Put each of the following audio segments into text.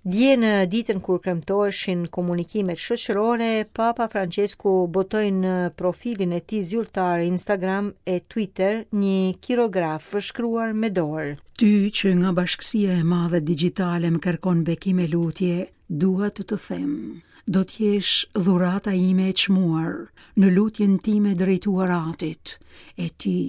Dje në ditën kur kremtoheshin komunikimet shoqërore, Papa Francesku botoi në profilin e tij zyrtar Instagram e Twitter një kirograf shkruar me dorë. Ty që nga bashkësia e madhe digjitale më kërkon bekim e lutje, dua të të them, do të jesh dhurata ime e çmuar në lutjen time drejtuar Atit, e ti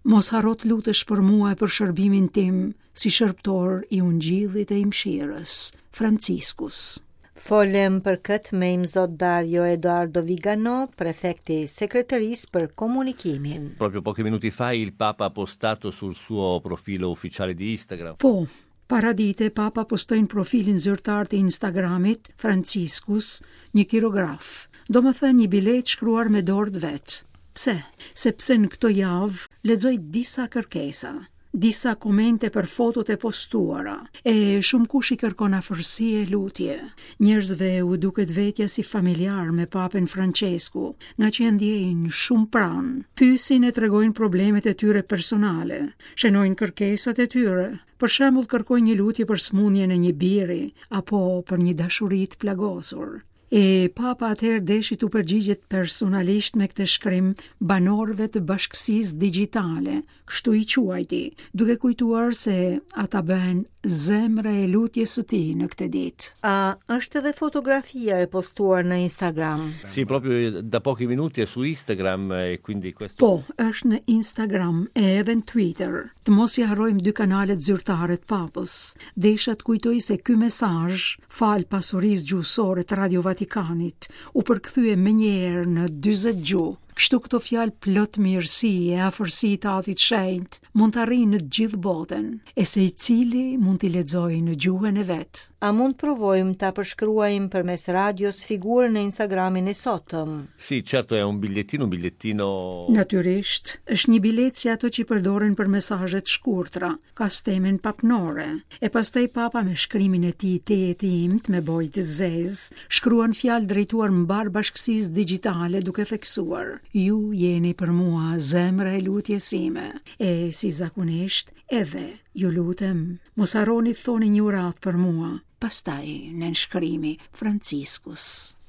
Mos harro të lutesh për mua e për shërbimin tim si shërbëtor i Ungjillit e i mëshirës. Franciscus. Folëm për këtë me Imzot Dario Edoardo Vigano, prefekti i Sekretarisë për Komunikimin. Proprio pochi minuti fa il Papa ha postato sul suo profilo ufficiale di Instagram. Po, Paradite, Papa postoi në profilin zyrtar të Instagramit, Franciscus, një kirograf, domethënë një biletë shkruar me dorë të vet. Pse? Sepse në këto javë lexoj disa kërkesa, disa komente për fotot e postuara, e shumëkush i kërkon afërsi e lutje. Njerëzve u duket vetja si familjar me Papën Françesku, ngaqë e ndjejnë shumë pranë. Pyesin e tregojnë problemet e tyre personale, shënojnë kërkesat e tyre, Për shembull, kërkojnë një lutje për sëmundjen e një biri apo për një dashuri të plagosur. E Papa atëherë deshi t'u përgjigjet personalisht me këtë shkrim banorëve të bashkësisë digjitale, kështu i quajti, duke kujtuar se ata bëhen zemra e lutjes së tij në këtë ditë. A është edhe fotografia e postuar në Instagram? Sì, proprio da pochi minuti è su Instagram e quindi questo Po, është në Instagram e edhe në Twitter. Të mos i harrojmë dy kanalet zyrtare të Papës. Desha të kujtoj se ky mesazh, falë pasurisë gjuhësore të Radio Vatikanit, u përkthye menjëherë në 40 gjuhë. Kështu këto fjalë plot mirësi e afërsi të Atit Shenjt mund të arrijnë në të gjithë botën, e secili mund t'i lexojë në gjuhën e vet. A mund të provojmë ta përshkruajmë përmes radios figurën në Instagramin e sotëm? Sì, certo è un bigliettino, un bigliettino... Natyrisht, është një biletë si ato që përdoren për mesazhe të shkurtra, ka stemën papnore. E pastaj papa me shkrimin e tij tejet të imtë me bojë të zezë, shkruan fjalë drejtuar mbarë bashkësisë digjitale duke theksuar: Ju jeni për mua zemra e lutjes sime. E si zakonisht, edhe ju lutem, mos harroni të thoni një uratë për mua. Pastaj nënshkrimi Franciscus.